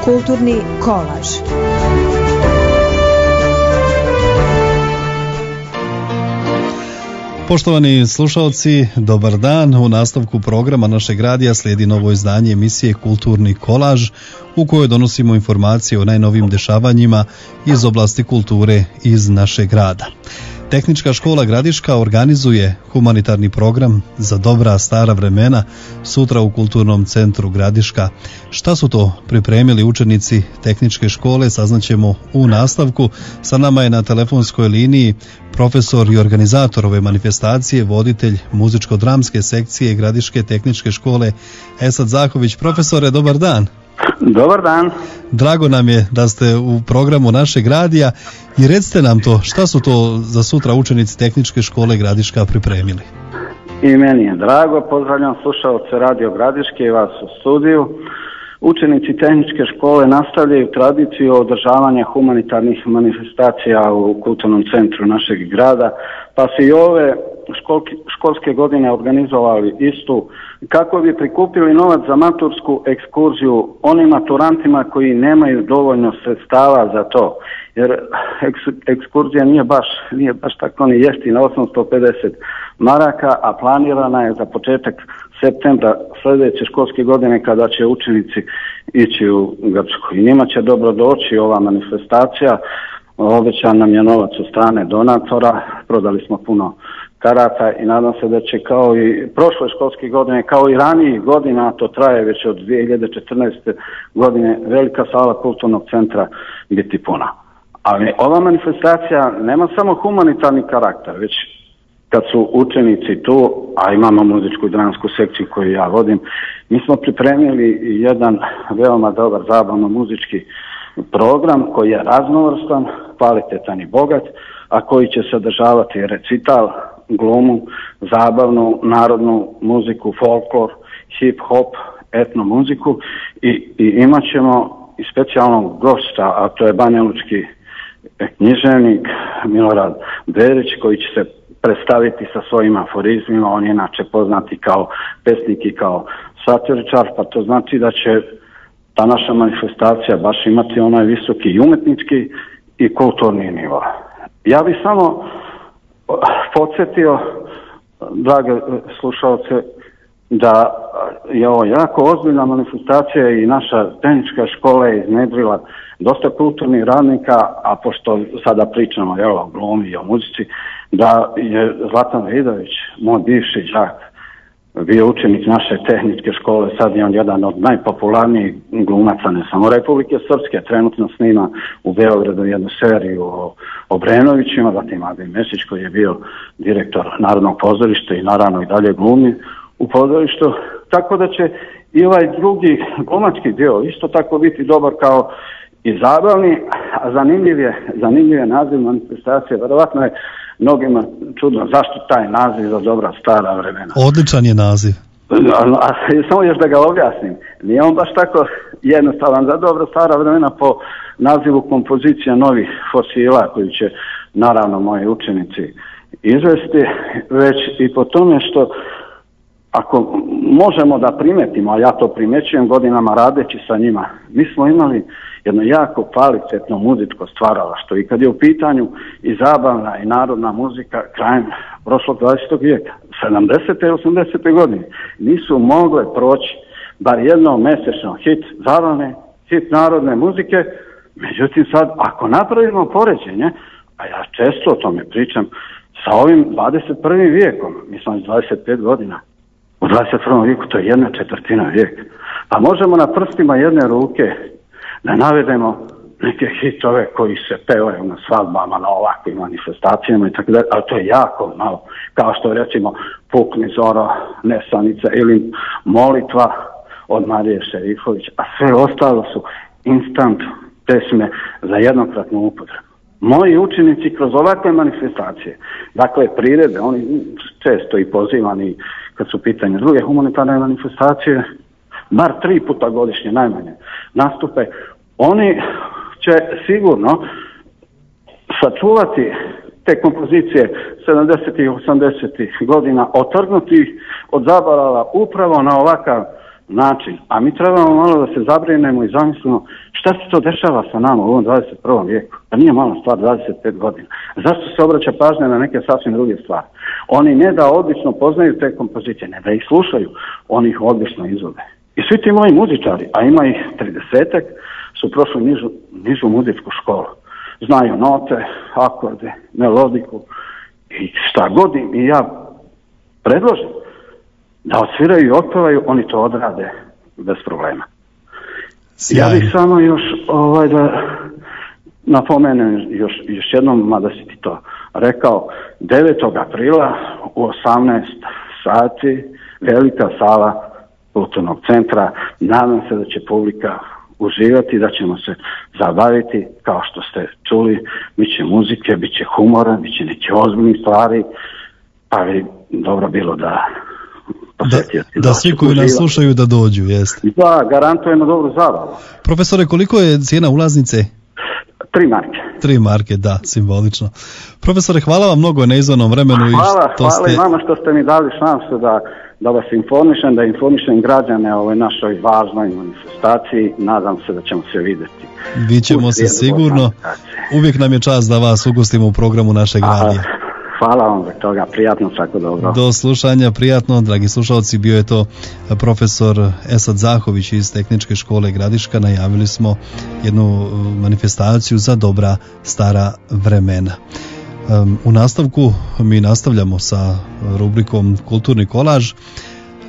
Kulturni kolaž. Poštovani slušalci, dobar dan. U nastavku programa našeg radija slijedi novo izdanje emisije Kulturni kolaž u kojoj donosimo informacije o najnovijim dešavanjima iz oblasti kulture iz našeg grada. Tehnička škola Gradiška organizuje humanitarni program za dobra stara vremena sutra u Kulturnom centru Gradiška. Šta su to pripremili učenici tehničke škole, saznaćemo u nastavku. Sa nama je na telefonskoj liniji profesor i organizator ove manifestacije, voditelj muzičko-dramske sekcije Gradiške tehničke škole Esad Zahović. Profesore, dobar dan. Dobar dan. Drago nam je da ste u programu našeg radija i recite nam to, šta su to za sutra učenici tehničke škole Gradiška pripremili? I meni je drago, pozdravljam slušalce Radio Gradiške i vas u studiju. Učenici tehničke škole nastavljaju tradiciju održavanja humanitarnih manifestacija u kulturnom centru našeg grada, pa su i ove školske godine organizovali istu kako bi prikupili novac za matursku ekskurziju onim maturantima koji nemaju dovoljno sredstava za to. Jer ekskurzija nije baš tako ni jeftina, 850 maraka, a planirana je za početak septembra sljedeće školske godine kada će učenici ići u Grčku. I njima će dobro doći ova manifestacija. Obećan nam je novac od strane donatora, prodali smo puno karata i nadam se da će kao i prošle školske godine, kao i ranijih godina, to traje već od 2014. godine, velika sala kulturnog centra biti puna. Ali ova manifestacija nema samo humanitarni karakter, već kad su učenici tu, a imamo muzičku i dramsku sekciju koju ja vodim, mi smo pripremili jedan veoma dobar zabavno-muzički program koji je raznovrstan, kvalitetan i bogat, a koji će sadržavati recital, glumu, zabavnu, narodnu muziku, folklor, hip-hop, etno muziku i imat ćemo i specijalnog gosta, a to je banjalučki književnik Milorad Berić, koji će se predstaviti sa svojim aforizmima. On je inače poznati kao pesnik i kao satiričar, pa to znači da će ta naša manifestacija baš imati onaj visoki i umetnički i kulturni nivo. Ja bih samo podsjetio, drage slušalce, da je ovo jako ozbiljna manifestacija i naša tehnička škola je iznedrila dosta kulturnih radnika, a pošto sada pričamo o glumi i o muzici, da je Zlatan Vidović, moj bivši đak, bio učenik naše tehničke škole, sad je on jedan od najpopularnijih glumaca, ne samo Republike Srpske, trenutno snima u Beogradu jednu seriju o Obrenovićima, zatim Adem Mesić koji je bio direktor Narodnog pozorišta i naravno i dalje glumi u pozorištu, tako da će i ovaj drugi glumački dio isto tako biti dobar kao i zabavni, a zanimljiv je naziv manifestacije. Verovatno je mnogima čudno zašto taj naziv za dobra stara vremena. Odličan je naziv. A samo još da ga objasnim, nije on baš tako jednostavan. Za dobra stara vremena po nazivu kompozicija novih fosila koju će naravno moji učenici izvesti, već i po tome što ako možemo da primetimo, a ja to primećujem godinama radeći sa njima, mi smo imali jedno jako kvalitetno muzičko stvaralaštvo i kad je u pitanju i zabavna i narodna muzika krajem prošlog 20. vijeka, 70. i 80. godine, nisu mogle proći bar jednom mesečno hit zabavne, hit narodne muzike. Međutim sad, ako napravimo poređenje, a ja često o tome pričam, sa ovim 21. vijekom, mislim 25 godina, u 21. vijeku to je 1/4 vijeka. Pa možemo na prstima jedne ruke da navedemo neke hitove koji se pevaju na svadbama, na ovakvim manifestacijama i tako dalje, ali to je jako malo. Kao što recimo Pukni zoro, Nesanica ili Molitva od Marije Šerifović, a sve ostalo su instant pesme za jednokratnu upotrebu. Moji učenici kroz ovakve manifestacije, dakle prirede, oni često i pozivani kad su pitanje druge humanitarne manifestacije, bar 3 puta godišnje najmanje nastupe, oni će sigurno sačuvati te kompozicije 70. i 80. godina, otrgnuti ih od zaborava upravo na ovakav način. A mi trebamo malo da se zabrinemo i zamislimo šta se to dešava sa nama u ovom 21. vijeku. Da nije mala stvar 25 godina. Zašto se obraća pažnja na neke sasvim druge stvari? Oni ne da odlično poznaju te kompozicije, ne da ih slušaju, oni ih odlično izvode. I svi ti moji muzičari, a ima ih 30-ak, su prošli nižu muzičku školu. Znaju note, akorde, melodiku i šta god im i ja predložim da odsviraju i otpevaju, oni to odrade bez problema. Sjajno. Ja bih samo još da napomenem još jednom, mada si ti to rekao, 9. aprila u 18 sati velika sala Kulturnog centra. Nadam se da će publika uživati, da ćemo se zabaviti, kao što ste čuli, bit će muzike, bit će humora, bit će neke ozbiljne stvari, pa bi dobro bilo da da svi koji nas slušaju da dođu, jeste. Da, garantujemo dobru zabavu. Profesore, koliko je cijena ulaznice? 3 marke. 3 marke, da, simbolično. Profesore, hvala vam mnogo na izvornom vremenu. Hvala i vama što ste mi dali šansu da vas informišem, da informišem građane o ovoj našoj važnoj manifestaciji. Nadam se da ćemo se vidjeti. Viđemo se sigurno. Uvijek nam je čast da vas ugostimo u programu našeg radija. Hvala vam za toga, prijatno, svako dobro. Do slušanja, prijatno, dragi slušalci, bio je to profesor Esad Zahović iz Tehničke škole Gradiška. Najavili smo jednu manifestaciju za dobra stara vremena. U nastavku mi nastavljamo sa rubrikom Kulturni kolaž.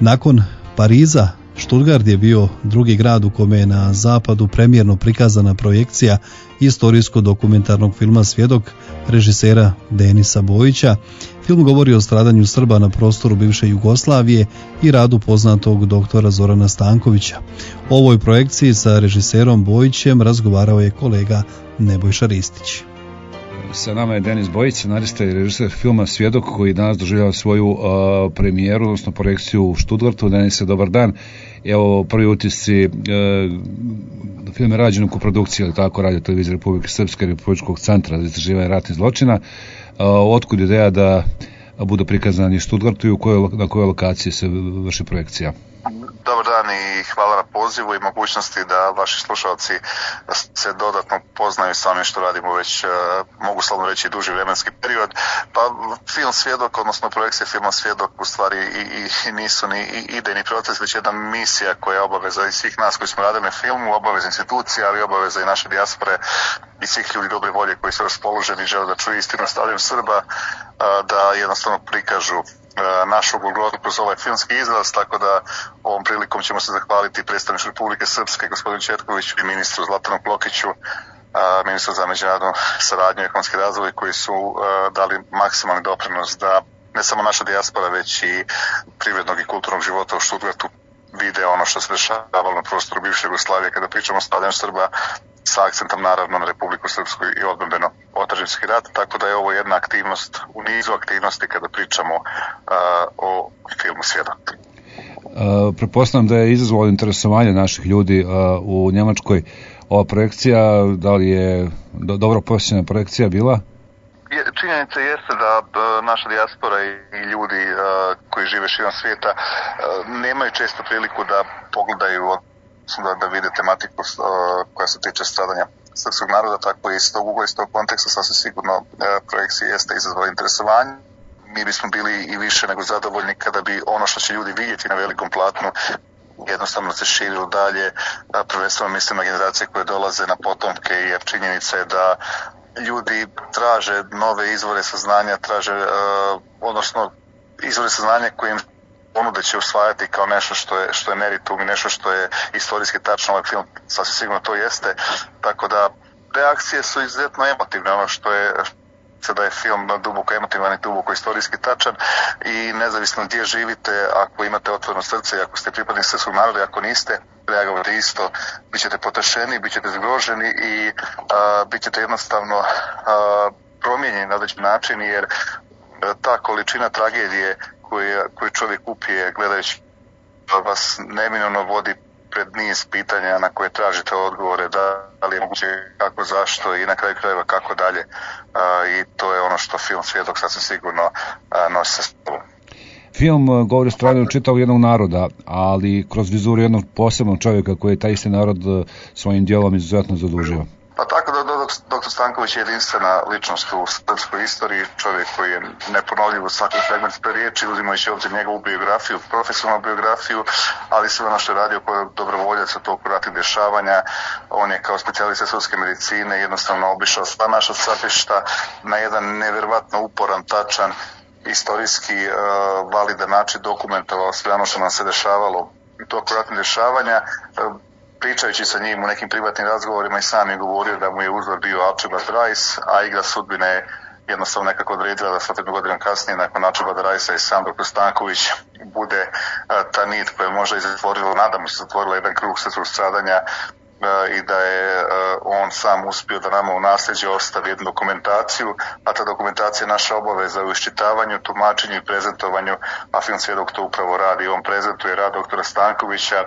Nakon Pariza, Stuttgart je bio drugi grad u kome je na zapadu premijerno prikazana projekcija istorijsko-dokumentarnog filma Svjedok režisera Denisa Bojića. Film govori o stradanju Srba na prostoru bivše Jugoslavije i radu poznatog doktora Zorana Stankovića. O ovoj projekciji sa režiserom Bojićem razgovarao je kolega Nebojša Ristić. Sa nama je Denis Bojić, scenarista i režiser filma Svjedok, koji danas doživljava svoju premijeru, odnosno projekciju u Stuttgartu. Denise, dobar dan. Evo, prvi utisci, film je rađen u koprodukciji, ali tako, Radio Televizije Republike Srpske i Republičkog centra za istraživanje ratnih zločina. Otkud ideja da bude prikazan i Stuttgartu i na kojoj lokaciji se vrši projekcija? Dobar dan i hvala na pozivu i mogućnosti da vaši slušalci se dodatno poznaju s onim što radimo već, mogu slobodno reći, duži vremenski period. Pa film Svjedok, odnosno projekcija filma Svjedok u stvari i nisu ni idejni proces, već jedna misija koja je obaveza i svih nas koji smo radili na filmu, obaveza institucija, ali obaveza i naše dijaspore i svih ljudi dobre volje koji su raspoloženi i žele da čuju istinu o stradanju Srba, da jednostavno prikažu našu golgotu kroz ovaj filmski izraz, tako da ovom prilikom ćemo se zahvaliti predstavniku Republike Srpske, gospodinu Četkoviću, i ministru Zlatanu Klokiću, ministru za međunarodnu saradnju i ekonomski razvoj, koji su dali maksimalni doprinos da ne samo naša dijaspora, već i privrednog i kulturnog života u Stuttgartu vide ono što se dešavalo na prostoru bivše Jugoslavije kada pričamo o stradanju Srba, sa akcentom naravno na Republiku Srpsku i odbrambeno otadžbinski rat, tako da je ovo jedna aktivnost u nizu aktivnosti kada pričamo o filmu Svjedok. Pretpostavljam da je izazvalo interesovanje naših ljudi u Njemačkoj ova projekcija, da li je dobro posjećena projekcija bila? Činjenica jeste da naša dijaspora i ljudi koji žive širom svijeta nemaju često priliku da pogledaju, da vide tematiku koja se tiče stradanja srpskog naroda, tako i iz tog ugla, iz tog konteksta sasvim sigurno projekcija jeste izazvala interesovanje. Mi bismo bili i više nego zadovoljni kada bi ono što će ljudi vidjeti na velikom platnu jednostavno se širilo dalje, prvenstveno mislim na generacije koje dolaze, na potomke, jer činjenica je da ljudi traže nove izvore saznanja, odnosno izvore saznanja koje im ponude će usvajati kao nešto što je meritum i nešto što je istorijski tačno. Ovaj film sasvim sigurno to jeste, tako da reakcije su izuzetno emotivne, ono što je da je film duboko emotivan i duboko istorijski tačan i nezavisno gdje živite, ako imate otvoreno srce i ako ste pripadnik srpskog naroda i ako niste, reagovate isto, bit ćete potešeni, bit ćete zgroženi i bit ćete jednostavno promijenjeni na određen način, jer ta količina tragedije koju čovjek upije gledajući vas neminovno vodi pred niz pitanja na koje tražite odgovore, da li je moguće, kako, zašto i na kraju krajeva kako dalje, i to je ono što film Svjedok sasvim sigurno nosi sa sobom. film govori o stradanju čitavog jednog naroda, ali kroz vizuru jednog posebnog čovjeka koji je taj isti narod svojim djelom izuzetno zadužio. Pa tako da dr. Stanković je jedinstvena ličnost u srpskoj istoriji, čovjek koji je neponovljiv u svakom segmentu riječi, uzimajući obzir njegovu biografiju, profesionalnu biografiju, ali sve ono što je radio kao dobrovoljac u toku ratnih dešavanja. On je kao specijalista sudske medicine jednostavno obišao sva naša stratišta na jedan nevjerovatno uporan, tačan, istorijski validan način dokumentovao sve ono što nam se dešavalo u toku ratnih dešavanja. Pričajući sa njim u nekim privatnim razgovorima i sam je govorio da mu je uzor bio Archibald Rice, a igra sudbine je jednostavno nekako odredila da 100 godina kasnije nakon Archibald Ricea i sam dr. Stanković bude ta nit koja je možda izatvorila, nadamo se zatvorila jedan krug srpskog stradanja i da je on sam uspio da nama u nasljeđe ostavi jednu dokumentaciju, a ta dokumentacija je naša obaveza u iščitavanju, tumačenju i prezentovanju, a Film Svjedok to upravo radi. On prezentuje rad doktora Stankovića,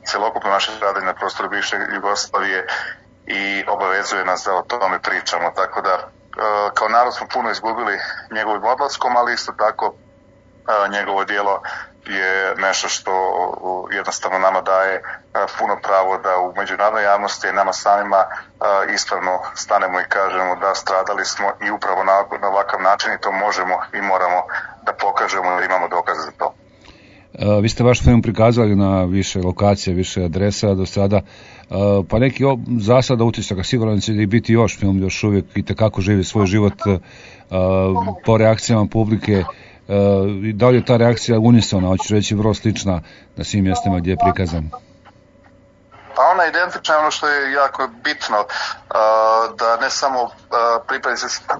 celokupno naše stradanje na prostoru bivše Jugoslavije i obavezuje nas da o tome pričamo. Tako da kao narod smo puno izgubili njegovim odlaskom, ali isto tako njegovo djelo je nešto što jednostavno nama daje puno pravo da u međunarodnoj javnosti i nama samima ispravno stanemo i kažemo da stradali smo i upravo na ovakav način i to možemo i moramo da pokažemo da imamo dokaze za to. Vi ste vaš film prikazali na više lokacija, više adresa do sada, pa neki zasada utisaka, sigurno će i biti još film još uvijek i tekako živi svoj život po reakcijama publike. Da li je ta reakcija unisona, hoću reći vrlo slična na svim mjestima gdje je prikazan? Pa ona je identična, ono što je jako bitno, da ne samo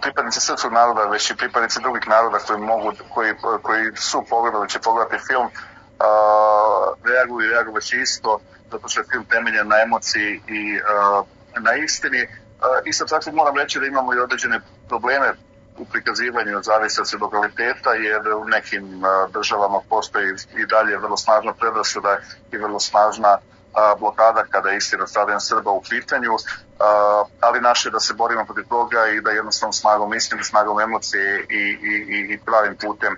pripadnici srpskog naroda, već i pripadnici drugih naroda koji su pogledali, će pogledati film, reaguju će isto, zato što je film temeljen na emociji i na istini. Isto tako moram reći da imamo i određene probleme u prikazivanju od zavisnosti od lokaliteta, jer u nekim državama postoji i dalje vrlo snažna predrasuda i vrlo snažna blokada kada je istina stradanja Srba u pitanju, ali naše da se borimo protiv toga i da jednostavno snagom istine, snagom emocije i pravim putem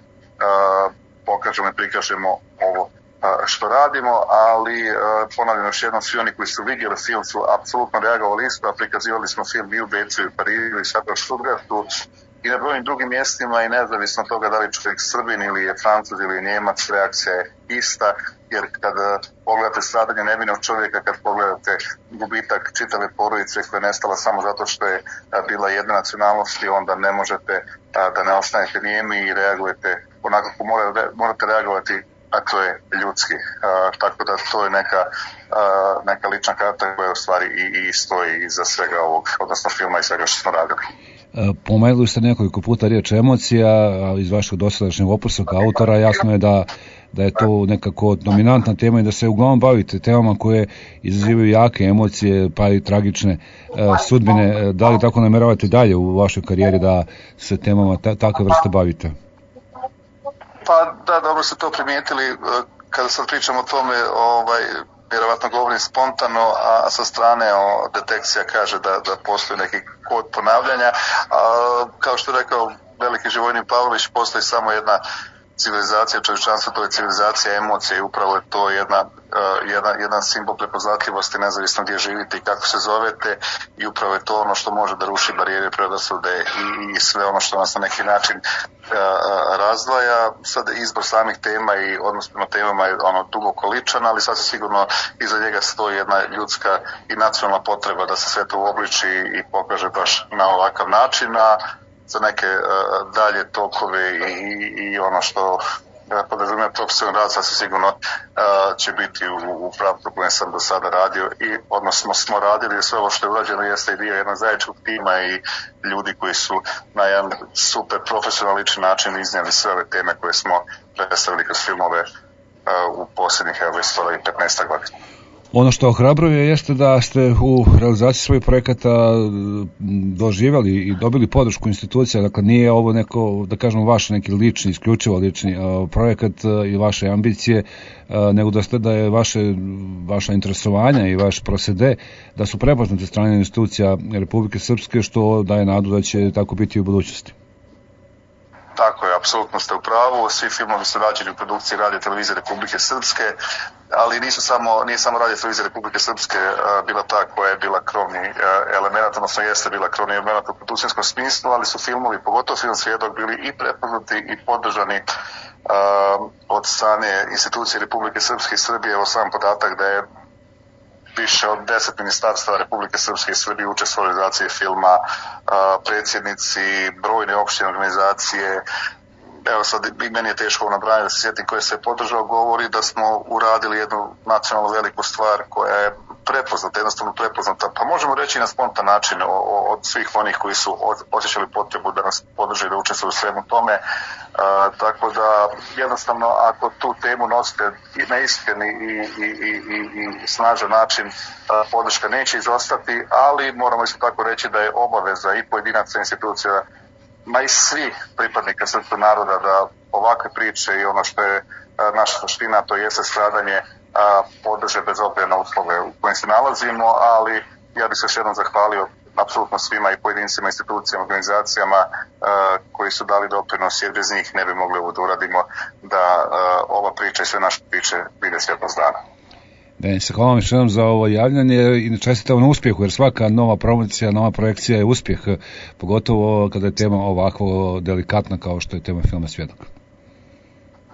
pokažemo i prikažemo ovo što radimo, ali ponavljam još jednom, svi oni koji su vidjeli film su apsolutno reagovali isto, a prikazivali smo film i u Beču i u Parizu i sad u Stuttgartu i na brojnim drugim mjestima i nezavisno od toga da li čovjek Srbin ili je Francuz ili je Njemac, reakcija je ista, jer kada pogledate stradanje nevinog čovjeka, kad pogledate gubitak čitave porodice koja je nestala samo zato što je bila jedna nacionalnosti, onda ne možete da ne ostanete nijemi i reagujete onako kako morate reagovati, a to je ljudski. Tako da to je neka lična karta koja u stvari i stoji iza svega ovog, odnosno filma i svega što smo radili. Pomenuli ste nekoliko puta riječ emocija, a iz vašeg dosadašnjeg opusa kao autora jasno je da je to nekako dominantna tema i da se uglavnom bavite temama koje izazivaju jake emocije, pa i tragične sudbine. Da li tako namjeravate dalje u vašoj karijeri da se temama takve vrste bavite? Pa da, dobro ste to primijetili. Kada sad pričam o tome, vjerovatno govorim spontano, a sa strane detekcija kaže da postoji neki kod ponavljanja. Kao što je rekao veliki Živojin Pavlović, postoji samo jedna civilizacija čovječanstva, to je civilizacija emocija i upravo je to jedan simbol prepoznatljivosti nezavisno gdje živite i kako se zovete i upravo je to ono što može da ruši barijere predrasude i sve ono što nas na neki način razdvaja. Sad izbor samih tema i odnos prema temama je duboko ličan, ali sasvim sigurno iza njega stoji jedna ljudska i nacionalna potreba da se sve to uobliči i pokaže baš na ovakav način, a za neke dalje tokove i ono što podrazumijeva profesionalni rad sasvim sigurno će biti u pravcu kojem sam do sada radio i odnosno smo radili sve ovo što je urađeno jeste i dio jednog zajedničkog tima i ljudi koji su na jedan super profesionalični način iznijeli sve ove teme koje smo predstavili kroz filmove u posljednjih 15 godina. Ono što ohrabruje jeste da ste u realizaciji svojih projekata doživjeli i dobili podršku institucija, dakle nije ovo neko, da kažemo, vaš neki lični, isključivo lični projekat i vaše ambicije, nego da je vaša interesovanja i vaš prosede da su prepoznate strane institucija Republike Srpske, što daje nadu da će tako biti u budućnosti. Tako je, apsolutno ste u pravu. Svi filmovi su rađeni u produkciji Radio Televizije Republike Srpske, ali nije samo Radio Televizija Republike Srpske bila ta koja je bila krovni element, odnosno jeste bila krovni element u produkcijskom smislu, ali su filmovi, pogotovo film Svjedok, bili i prepoznati i podržani od strane institucije Republike Srpske i Srbije. Evo sam podatak da je više od 10 ministarstva Republike Srpske i Srbije učestvovali u realizaciji filma, predsjednici, brojne opštine organizacije. Evo sad i meni je teško nabrajati da se sjetim koje se je podržao, govori da smo uradili jednu nacionalno veliku stvar koja je prepoznata, jednostavno prepoznata, pa možemo reći na spontan način od svih onih koji su osjećali potrebu da nas podrže i da učestvuju u svemu tome. Tako da jednostavno ako tu temu nosite i na iskreni i snažan način, podrška neće izostati, ali moramo isto tako reći da je obaveza i pojedinaca institucija, ma i svih pripadnika srpskog naroda da ovakve priče i ono što je naša suština, to jeste stradanje, podrže bez obzira na uslove u kojim se nalazimo, ali ja bih se još jednom zahvalio apsolutno svima i pojedincima, institucijama, organizacijama koji su dali doprinos, jer bez njih ne bi mogli ovo da uradimo, da ova priča i sve naše priče vide svjetlost dana. Denis, hvala vam još jednom za ovo javljanje i čestitam na uspjehu, jer svaka nova promocija, nova projekcija je uspjeh, pogotovo kada je tema ovako delikatna kao što je tema filma Svjedok.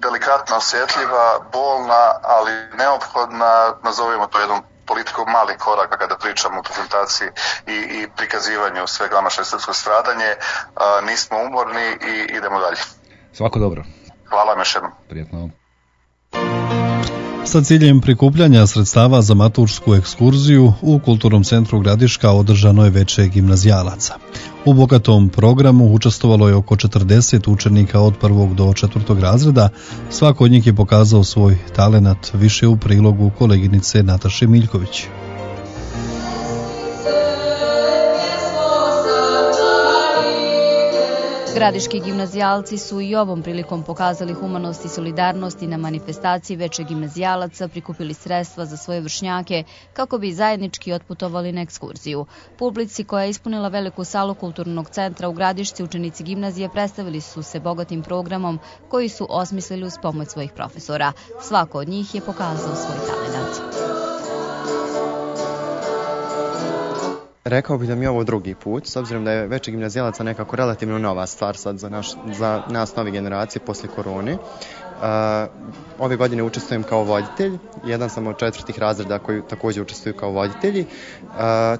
Delikatna, osjetljiva, bolna, ali neophodna, nazovimo to jednom politikom malih koraka kada pričamo o prezentaciji i prikazivanju svega naše srpsko stradanje. Nismo umorni i idemo dalje. Svako dobro. Hvala vam još jednom. Prijetno. Sa ciljem prikupljanja sredstava za matursku ekskurziju u Kulturnom centru Gradiška održano je veče gimnazijalaca. U bogatom programu učestvovalo je oko 40 učenika od 1. do 4. razreda. Svako od njih je pokazao svoj talenat, više u prilogu koleginice Nataše Miljković. Gradiški gimnazijalci su i ovom prilikom pokazali humanost i solidarnost i na manifestaciji veče gimnazijalaca prikupili sredstva za svoje vršnjake kako bi zajednički otputovali na ekskurziju. Publici koja je ispunila veliku salu Kulturnog centra u Gradišci, učenici gimnazije predstavili su se bogatim programom koji su osmislili uz pomoć svojih profesora. Svako od njih je pokazao svoj talenat. Rekao bih da mi je ovo drugi put, s obzirom da je veče gimnazijalaca nekako relativno nova stvar sad za nas nove generacije posle korone. Ove godine učestvujem kao voditelj, jedan sam od 4. razreda koji također učestvuju kao voditelji.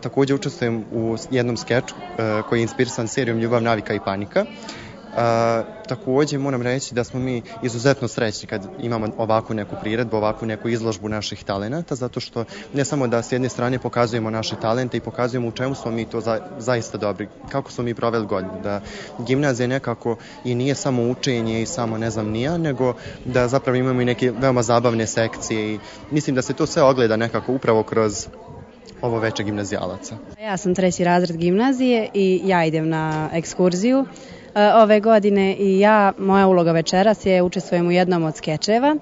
Također učestvujem u jednom skeču koji je inspirisan serijom Ljubav, navika i panika. Također moram reći da smo mi izuzetno srećni kad imamo ovakvu neku priredbu, ovakvu neku izložbu naših talenata, zato što ne samo da s jedne strane pokazujemo naše talente i pokazujemo u čemu smo mi to zaista dobri, kako smo mi proveli godinu, da gimnazija nekako i nije samo učenje i samo ne znam nija, nego da zapravo imamo i neke veoma zabavne sekcije i mislim da se to sve ogleda nekako upravo kroz ovo veče gimnazijalaca. Ja sam 3. razred gimnazije i ja idem na ekskurziju ove godine i moja uloga večeras je učestvujem u jednom od skečeva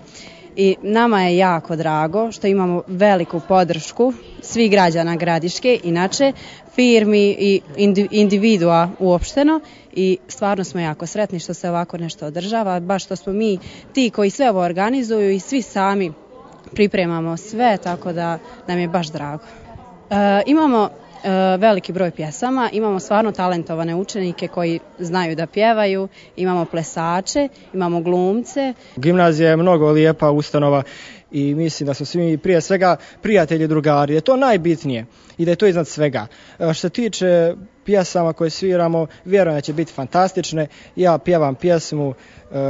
i nama je jako drago što imamo veliku podršku svih građana Gradiške, inače firmi i individua uopšteno i stvarno smo jako sretni što se ovako nešto održava, baš što smo mi ti koji sve ovo organizuju i svi sami pripremamo sve, tako da nam je baš drago. Imamo veliki broj pjesama, imamo stvarno talentovane učenike koji znaju da pjevaju, imamo plesače, imamo glumce. Gimnazija je mnogo lijepa ustanova i mislim da su svi prije svega prijatelji i drugari, je to najbitnije i da je to iznad svega. Što se tiče pjesama koje sviramo, vjerujem da će biti fantastične. Ja pjevam pjesmu,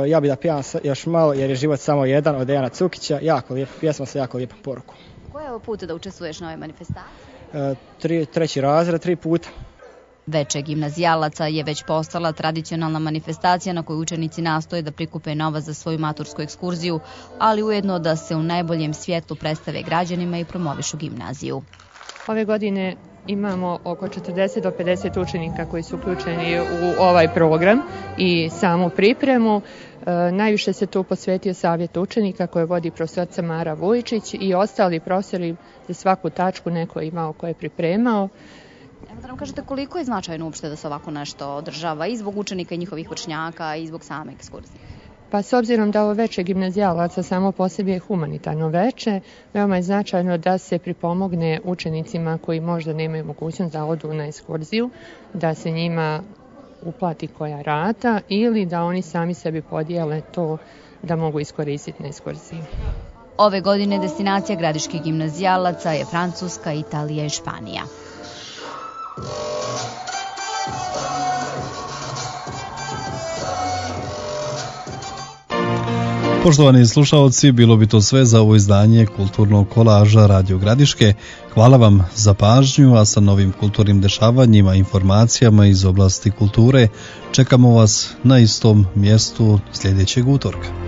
ja bih da pjevam još malo jer je život samo jedan od Dejana Cukića, jako lijepa pjesma sa jako lijepom porukom. Koji je ovo put da učestvuješ na ovoj manifestaciji? 3. razred, 3 puta. Veče gimnazijalaca je već postala tradicionalna manifestacija na kojoj učenici nastoje da prikupe novac za svoju matursku ekskurziju, ali ujedno da se u najboljem svjetlu predstave građanima i promovišu gimnaziju. Ove godine imamo oko 40 do 50 učenika koji su uključeni u ovaj program i samu pripremu. Najviše se tu posvetio savjet učenika koje vodi profesorica Mara Vujičić i ostali profesori za svaku tačku neko je imao ko je pripremao. Evo da nam kažete koliko je značajno uopšte da se ovako nešto održava i zbog učenika i njihovih vršnjaka i zbog same ekskurzije? Pa s obzirom da ovo veče gimnazijalaca samo po sebi je humanitarno veče, veoma je značajno da se pripomogne učenicima koji možda nemaju mogućnost da odu na ekskurziju, da se njima uplati koja rata ili da oni sami sebi podijele to da mogu iskoristiti na ekskurziji. Ove godine destinacija gradiških gimnazijalaca je Francuska, Italija i Španija. Poštovani slušaoci, bilo bi to sve za ovo izdanje kulturnog kolaža Radio Gradiške. Hvala vam za pažnju, a sa novim kulturnim dešavanjima i informacijama iz oblasti kulture čekamo vas na istom mjestu sljedećeg utorka.